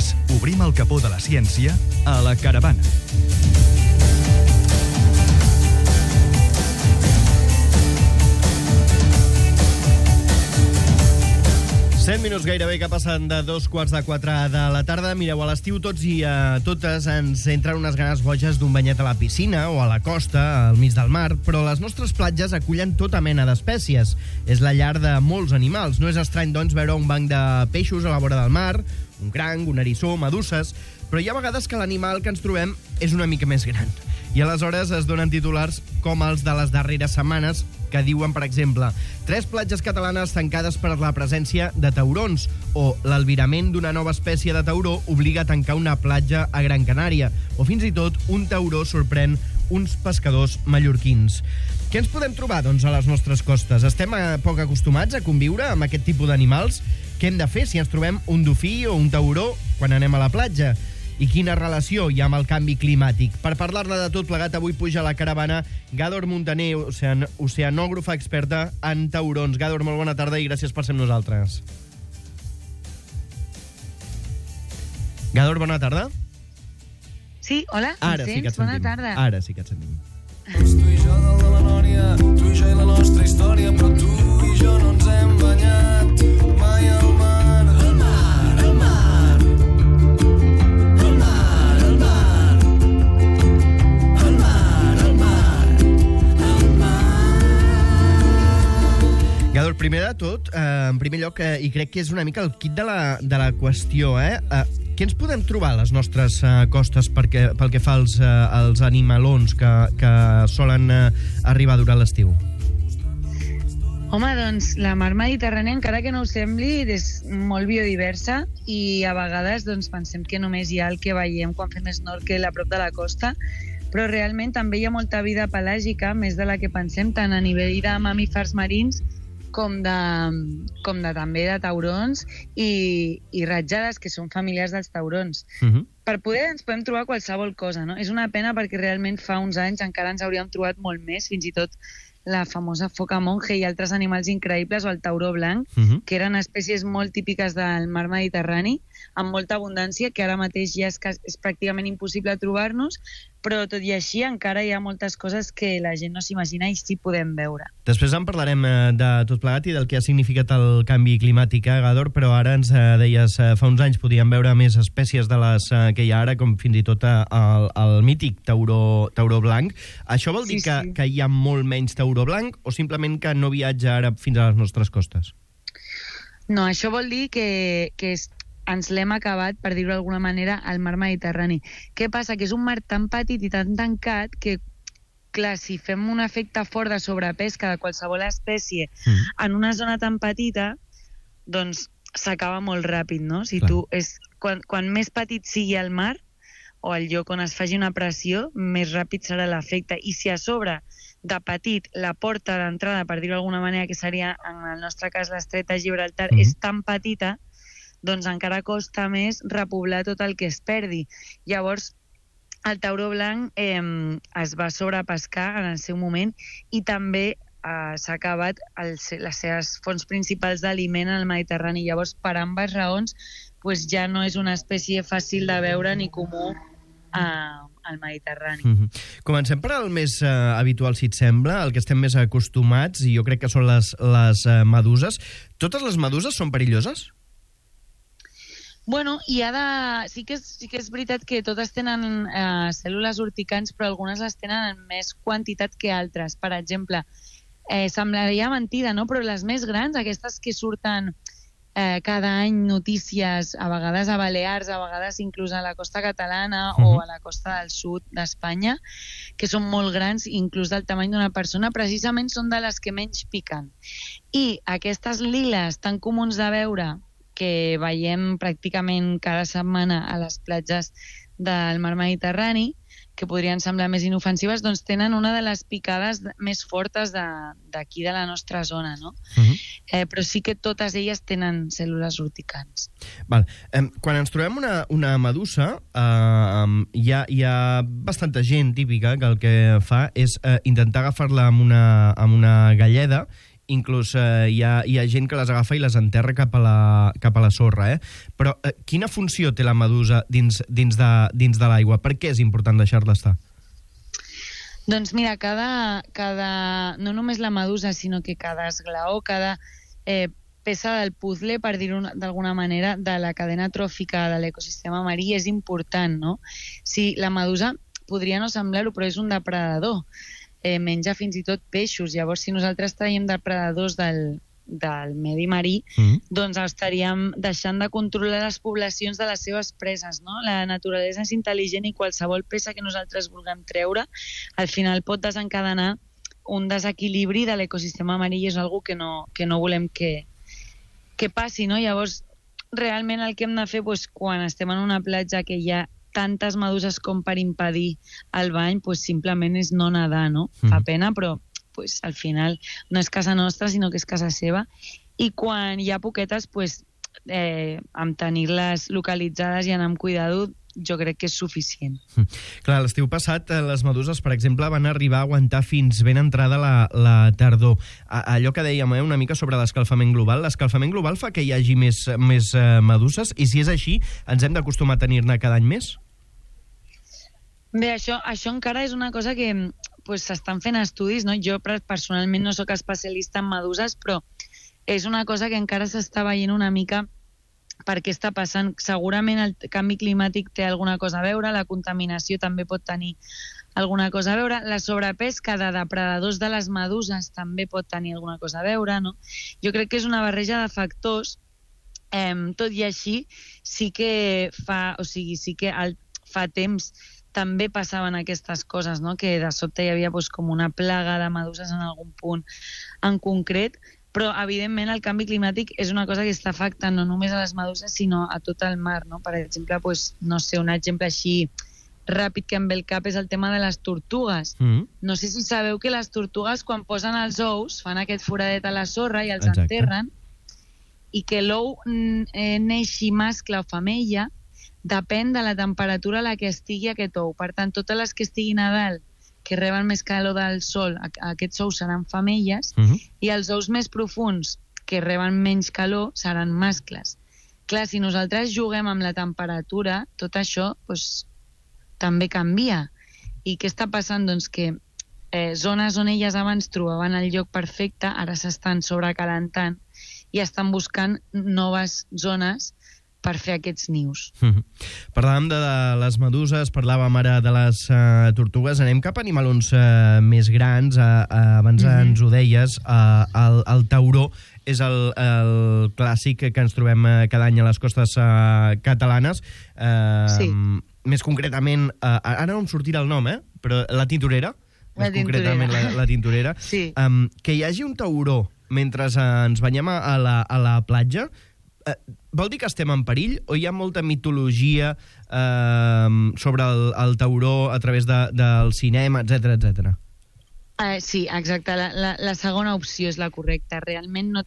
Nosaltres obrim el capó de la ciència a la caravana. Minuts gairebé que passen de 3:45 de la tarda. Mireu, a l'estiu tots i a totes ens entren unes ganes boges d'un banyet a la piscina o a la costa, al mig del mar, però les nostres platges acullen tota mena d'espècies. És la llar de molts animals. No és estrany, doncs, veure un banc de peixos a la vora del mar, un cranc, un eriçó, meduses, però hi ha vegades que l'animal que ens trobem és una mica més gran. I aleshores es donen titulars com els de les darreres setmanes, que diuen, per exemple, 3 platges catalanes tancades per la presència de taurons, o l'albirament d'una nova espècie de tauró obliga a tancar una platja a Gran Canària, o fins i tot un tauró sorprèn uns pescadors mallorquins. Què ens podem trobar, doncs, a les nostres costes? Estem poc acostumats a conviure amb aquest tipus d'animals? Què hem de fer si ens trobem un dofí o un tauró quan anem a la platja? I quina relació hi ha amb el canvi climàtic? Per parlar-ne de tot plegat, avui puja a la caravana Gàdor Muntaner, oceanògrafa experta en taurons. Gàdor, molt bona tarda i gràcies per ser amb nosaltres. Gàdor, bona tarda. Sí, hola, Ara sí que et sentim. Bona tarda. Ara sí que et sentim. Tu i jo dalt de la Nòria, tu i jo i la nostra història, però tu i jo no ens hem banyat mai al mar. Gàdor, primer de tot, en primer lloc, i crec que és una mica el kit de la qüestió, què ens podem trobar a les nostres costes pel que fa als animalons que solen arribar durant l'estiu? Home, doncs, la mar Mediterrània, encara que no ho sembli, és molt biodiversa i a vegades doncs, pensem que només hi ha el que veiem quan fem snorkel a prop de la costa, però realment també hi ha molta vida pelàgica, més de la que pensem, tant a nivell de mamífers marins com de també de taurons i ratjades, que són familiars dels taurons. Per poder ens podem trobar qualsevol cosa, no? És una pena perquè realment fa uns anys encara ens hauríem trobat molt més, fins i tot la famosa foca monje i altres animals increïbles, o el tauró blanc, que eren espècies molt típiques del mar Mediterrani, amb molta abundància, que ara mateix ja és pràcticament impossible trobar-nos, però tot i així encara hi ha moltes coses que la gent no s'imagina i sí podem veure. Després en parlarem de tot plegat i del que ha significat el canvi climàtic, Gàdor, però ara ens deies, fa uns anys podíem veure més espècies de les que hi ha ara, com fins i tot el mític tauró blanc. Això vol dir que hi ha molt menys tauró blanc o simplement que no viatja ara fins a les nostres costes? No, això vol dir que ens l'hem acabat, per dir-ho d'alguna manera, al mar Mediterrani. Què passa? Que és un mar tan petit i tan tancat que, clar, si fem un efecte fort de sobrepesca de qualsevol espècie en una zona tan petita, doncs s'acaba molt ràpid, no? Si quan més petit sigui el mar o el lloc on es faci una pressió, més ràpid serà l'efecte. I si a sobre de petit la porta d'entrada, per dir-ho d'alguna manera, que seria, en el nostre cas, l'estret de Gibraltar, és tan petita, doncs encara costa més repoblar tot el que es perdi. Llavors, el tauró blanc es va sobrepescar en el seu moment i també s'ha acabat les seves fonts principals d'aliment al Mediterrani. Llavors, per ambes raons, ja no és una espècie fàcil de veure ni comú al Mediterrani. Comencem per el més habitual, si et sembla, el que estem més acostumats, i jo crec que són les meduses. Totes les meduses són perilloses? Bueno, sí que és veritat que totes tenen cèl·lules urticants, però algunes les tenen en més quantitat que altres. Per exemple, semblaria mentida, no? Però les més grans, aquestes que surten cada any notícies, a vegades a Balears, a vegades inclús a la costa catalana o a la costa del sud d'Espanya, que són molt grans, inclús del tamany d'una persona, precisament són de les que menys piquen. I aquestes liles tan comuns de veure, que veiem pràcticament cada setmana a les platges del mar Mediterrani, que podrien semblar més inofensives, doncs tenen una de les picades més fortes d'aquí de la nostra zona, no? Però sí que totes elles tenen cèl·lules urticants. Val. Quan ens trobem una medusa, hi ha bastanta gent típica que el que fa és intentar agafar-la amb una galleda inclús hi ha gent que les agafa i les enterra cap a la sorra, Però quina funció té la medusa dins de l'aigua? Per què és important deixar-la estar? Doncs mira, no només la medusa, sinó que cada esglaó, cada peça del puzzle, per dir-ho d'alguna manera, de la cadena tròfica de l'ecosistema marí és important, no? Si la medusa podria no semblar-ho, però és un depredador. Menja fins i tot peixos. Llavors, si nosaltres traiem depredadors del medi marí, doncs estaríem deixant de controlar les poblacions de les seves preses, no? La naturalesa és intel·ligent i qualsevol peça que nosaltres vulguem treure al final pot desencadenar un desequilibri de l'ecosistema marí i és una cosa que no volem que passi, no? Llavors, realment el que hem de fer quan estem en una platja que hi ha tantes meduses com per impedir el bany, simplement és no nedar, no? Fa pena, però al final no és casa nostra, sinó que és casa seva. I quan hi ha poquetes, amb tenir-les localitzades i anar amb cuidado, jo crec que és suficient. Clar, l'estiu passat les meduses, per exemple, van arribar a aguantar fins ben entrada la tardor. Allò que dèiem una mica sobre l'escalfament global, l'escalfament global fa que hi hagi més meduses i si és així, ens hem d'acostumar a tenir-ne cada any més? Bé, això encara és una cosa que s'estan fent estudis, no? Jo personalment no sóc especialista en meduses, però és una cosa que encara s'està veient una mica per què està passant. Segurament el canvi climàtic té alguna cosa a veure, la contaminació també pot tenir alguna cosa a veure, la sobrepesca de depredadors de les meduses també pot tenir alguna cosa a veure, no? Jo crec que és una barreja de factors, tot i així sí que fa temps també passaven aquestes coses, no? Que de sobte hi havia com una plaga de meduses en algun punt en concret, però evidentment el canvi climàtic és una cosa que està afectant no només a les meduses sinó a tot el mar, no? Per exemple, no sé, un exemple així ràpid que em ve al cap és el tema de les tortugues. No sé si sabeu que les tortugues quan posen els ous fan aquest foradet a la sorra i els enterren, i que l'ou neixi mascle o femella depèn de la temperatura a la que estigui aquest ou. Per tant, totes les que estiguin a dalt, que reben més calor del sol, aquests ous seran femelles, i els ous més profuns, que reben menys calor, seran mascles. Clar, si nosaltres juguem amb la temperatura, tot això també canvia. I què està passant? Doncs que zones on elles abans trobaven el lloc perfecte, ara s'estan sobrecalentant i estan buscant noves zones per fer aquests nius. Parlàvem de les meduses, parlàvem ara de les tortugues, anem cap a animalons més grans, abans ens ho deies, el tauró és el clàssic que ens trobem cada any a les costes catalanes. Sí. Més concretament, ara no em sortirà el nom, però la tintorera, més concretament la tintorera. Sí. Que hi hagi un tauró mentre ens banyem a la platja, vol dir que estem en perill o hi ha molta mitologia sobre el tauró a través del cinema, etc. Sí, exacte. La segona opció és la correcta. Realment no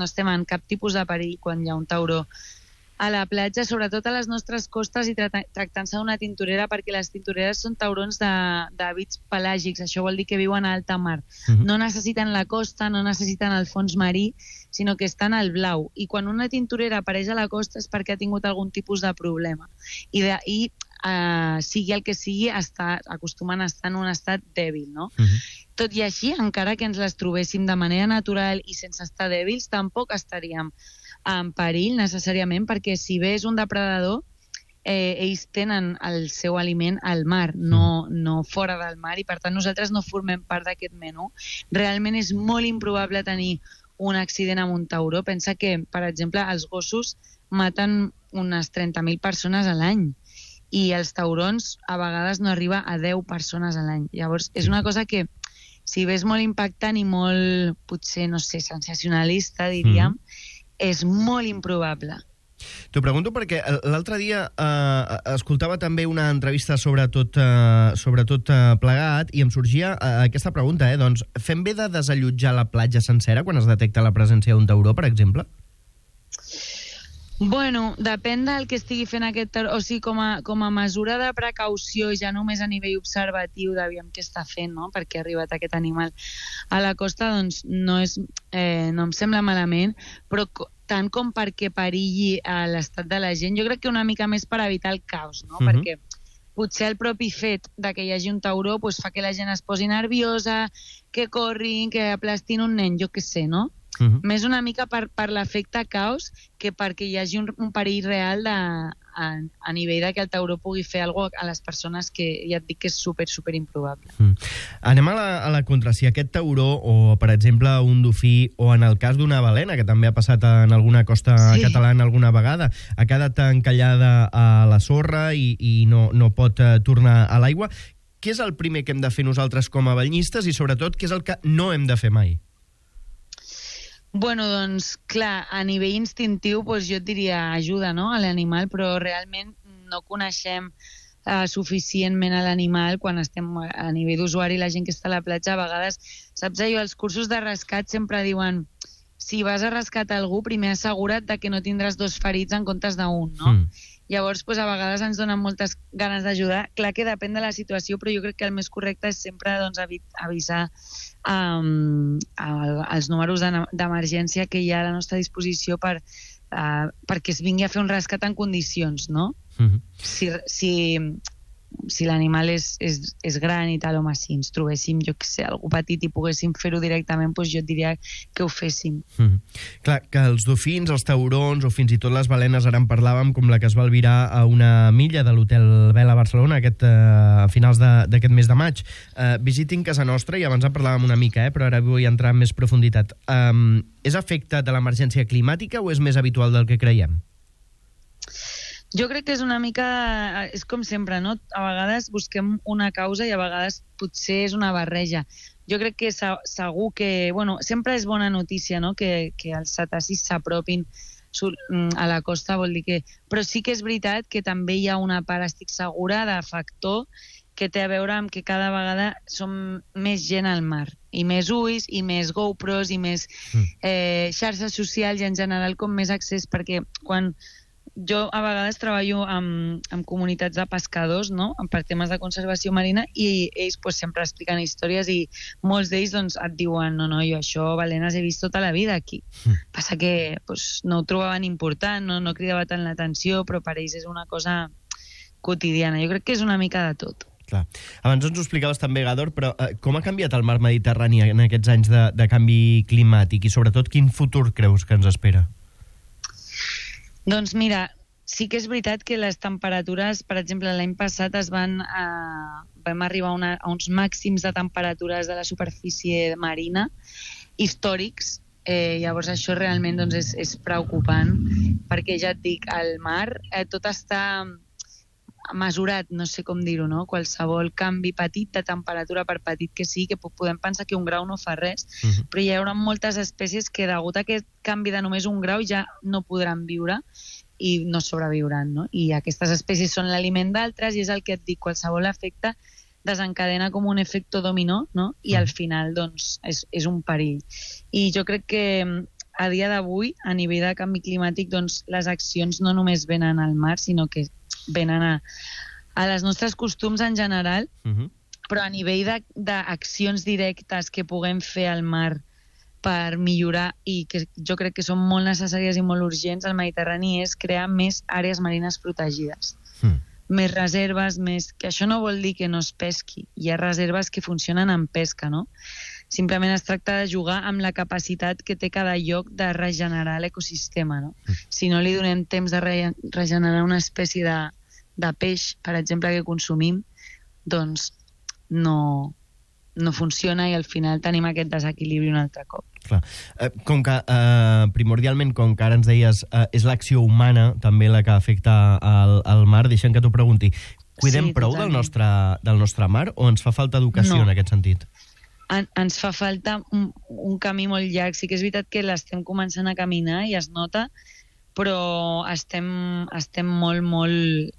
estem en cap tipus de perill quan hi ha un tauró a la platja, sobretot a les nostres costes i tractant-se d'una tintorera, perquè les tintoreres són taurons d'hàbits pelàgics, això vol dir que viuen a alta mar. No necessiten la costa, no necessiten el fons marí, sinó que estan al blau. I quan una tintorera apareix a la costa és perquè ha tingut algun tipus de problema. I sigui el que sigui, acostumen a estar en un estat dèbil, no? Tot i així, encara que ens les trobéssim de manera natural i sense estar dèbils, tampoc estaríem en perill necessàriament, perquè si bé és un depredador, ells tenen el seu aliment al mar, no fora del mar, i per tant nosaltres no formem part d'aquest menú. Realment és molt improbable tenir un accident amb un tauró. Pensa que, per exemple, els gossos maten unes 30.000 persones a l'any i els taurons a vegades no arriba a 10 persones a l'any. Llavors, és una cosa que, si bé és molt impactant i molt, potser, no sé, sensacionalista, diríem, és molt improbable. T'ho pregunto perquè l'altre dia escoltava també una entrevista sobre tot plegat i em sorgia aquesta pregunta, doncs fem bé de desallotjar la platja sencera quan es detecta la presència d'un tauró, per exemple? Bueno, depèn del que estigui fent aquest tauró. O sigui, com a mesura de precaució, ja només a nivell observatiu d'aviam què està fent, no? Perquè ha arribat aquest animal a la costa, doncs no em sembla malament, però tant com perquè perilli l'estat de la gent, jo crec que una mica més per evitar el caos, no? Perquè potser el propi fet de que hi hagi un tauró pues, fa que la gent es posi nerviosa, que corrin, que aplastin un nen, jo què sé, no? Més una mica per l'efecte caos que perquè hi hagi un perill real a nivell de que el tauró pugui fer alguna cosa a les persones que ja et dic que és super improbable. Anem a la contra. Si aquest tauró o, per exemple, un dofí o en el cas d'una balena, que també ha passat en alguna costa catalana alguna vegada, ha quedat encallada a la sorra i no pot tornar a l'aigua, què és el primer que hem de fer nosaltres com a banyistes i, sobretot, què és el que no hem de fer mai? Bueno, doncs, clar, a nivell instintiu, doncs jo et diria ajuda, no?, a l'animal, però realment no coneixem suficientment a l'animal quan estem a nivell d'usuari, la gent que està a la platja, a vegades, saps allò, els cursos de rescat sempre diuen si vas a rescatar algú, primer assegura't de que no tindràs 2 ferits en comptes d'1, no? Llavors, doncs, a vegades ens donen moltes ganes d'ajudar. Clar que depèn de la situació, però jo crec que el més correcte és sempre doncs, avisar els números d'emergència que hi ha a la nostra disposició perquè es vingui a fer un rescat en condicions, no? Si l'animal és gran i tal, home, si ens trobéssim, jo què sé, algú petit i poguéssim fer-ho directament, doncs jo et diria que ho féssim. Clar, que els dofins, els taurons o fins i tot les balenes, ara en parlàvem, com la que es va albirar a una milla de l'Hotel Vela a Barcelona a finals d'aquest mes de maig. Visitin casa nostra, i abans en parlàvem una mica, però ara vull entrar en més profunditat. És efecte de l'emergència climàtica o és més habitual del que creiem? Jo crec que és una mica, és com sempre, no? A vegades busquem una causa i a vegades potser és una barreja. Jo crec que segur que, bueno, sempre és bona notícia, no?, que els cetacis s'apropin a la costa, vol dir que... Però sí que és veritat que també hi ha una part, estic segura, de factor que té a veure amb que cada vegada som més gent al mar, i més ulls, i més GoPros, i més xarxes socials, i en general com més accés, perquè quan... Jo a vegades treballo amb comunitats de pescadors, no?, per temes de conservació marina, i ells pues, sempre expliquen històries i molts d'ells doncs, et diuen no, jo això, balenes, he vist tota la vida aquí. Passa que pues, no ho trobaven important, no cridava tant l'atenció, però per ells és una cosa quotidiana. Jo crec que és una mica de tot. Clar. Abans ens ho explicaves també, Gador, però com ha canviat el mar Mediterrani en aquests anys de canvi climàtic i sobretot quin futur creus que ens espera? Doncs mira, sí que és veritat que les temperatures, per exemple, l'any passat vam arribar a uns màxims de temperatures de la superfície marina històrics. Llavors això realment doncs, és preocupant, perquè ja et dic, al mar tot està mesurat, no sé com dir-ho, no? Qualsevol canvi petit de temperatura, per petit que sigui, que podem pensar que 1 grau no fa res, però hi haurà moltes espècies que degut a aquest canvi de només 1 grau ja no podran viure i no sobreviuran, no? I aquestes espècies són l'aliment d'altres i és el que et dic, qualsevol efecte desencadena com un efecte dominó, no? I al final, doncs, és un perill. I jo crec que a dia d'avui, a nivell de canvi climàtic, doncs, les accions no només venen al mar, sinó que venen a les nostres costums en general, però a nivell d'accions directes que puguem fer al mar per millorar, i que jo crec que són molt necessàries i molt urgents al Mediterrani, és crear més àrees marines protegides. Més reserves, que això no vol dir que no es pesqui. Hi ha reserves que funcionen en pesca, no? Simplement es tracta de jugar amb la capacitat que té cada lloc de regenerar l'ecosistema, no? Si no li donem temps de regenerar una espècie de peix, per exemple, que consumim, doncs no funciona i al final tenim aquest desequilibri un altre cop. Clar. Com que primordialment, com que ara ens deies, és l'acció humana també la que afecta al mar, deixa'm que t'ho pregunti. Cuidem prou del nostre mar o ens fa falta educació en aquest sentit? Ens fa falta un camí molt llarg. Sí que és veritat que l'estem començant a caminar i es nota, però estem molt...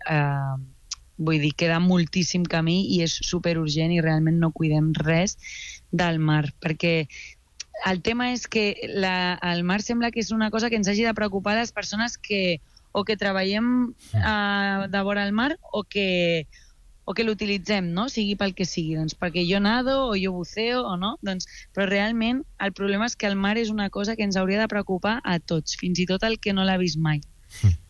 vull dir, queda moltíssim camí i és superurgent i realment no cuidem res del mar, perquè el tema és que el mar sembla que és una cosa que ens hagi de preocupar les persones que o que treballem de vora el mar o que l'utilitzem, no? Sigui pel que sigui, doncs perquè jo nado o jo buceo o no, doncs, però realment el problema és que el mar és una cosa que ens hauria de preocupar a tots, fins i tot el que no l'ha vist mai.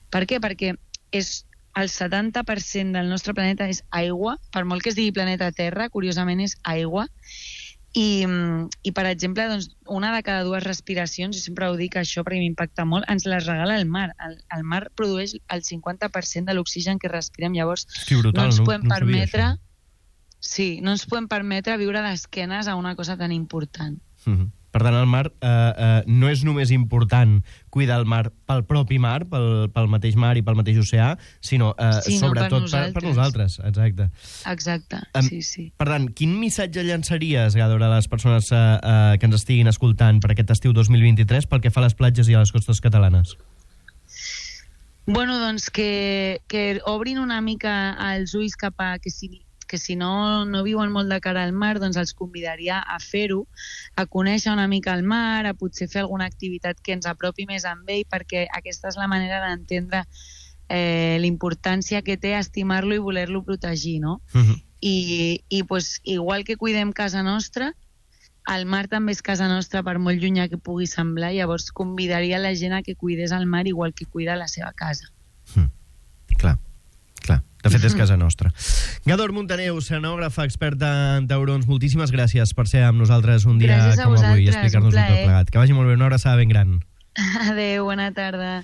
Per què? Perquè el 70% del nostre planeta és aigua, per molt que es digui planeta Terra, curiosament és aigua, i per exemple, doncs, una de cada 2 respiracions, i sempre ho dic això perquè m'impacta molt, ens les regala el mar. El mar produeix el 50% de l'oxigen que respirem, llavors brutal, no ens podem no permetre... Sí, no ens podem permetre viure d'esquenes a una cosa tan important. Per tant, el mar no és només important cuidar el mar pel propi mar, pel mateix mar i pel mateix oceà, sinó sobretot per nosaltres. Exacte. Exacte, sí. Per tant, quin missatge llançaries, Gàdor, a les persones que ens estiguin escoltant per aquest estiu 2023 pel que fa a les platges i a les costes catalanes? Bueno, doncs que obrin una mica els ulls cap a que si no viuen molt de cara al mar, doncs els convidaria a fer-ho, a conèixer una mica el mar, a potser fer alguna activitat que ens apropi més amb ell, perquè aquesta és la manera d'entendre la importància que té estimar-lo i voler-lo protegir, no? I pues, igual que cuidem casa nostra, el mar també és casa nostra per molt llunyà que pugui semblar, llavors convidaria la gent a que cuidés el mar igual que cuida la seva casa. Clar. De fet, és casa nostra. Gàdor Muntaner, oceanògrafa, experta en taurons, moltíssimes gràcies per ser amb nosaltres un dia com avui i explicar-nos tot plegat. Que vagi molt bé, una abraçada ben gran. Adéu, bona tarda.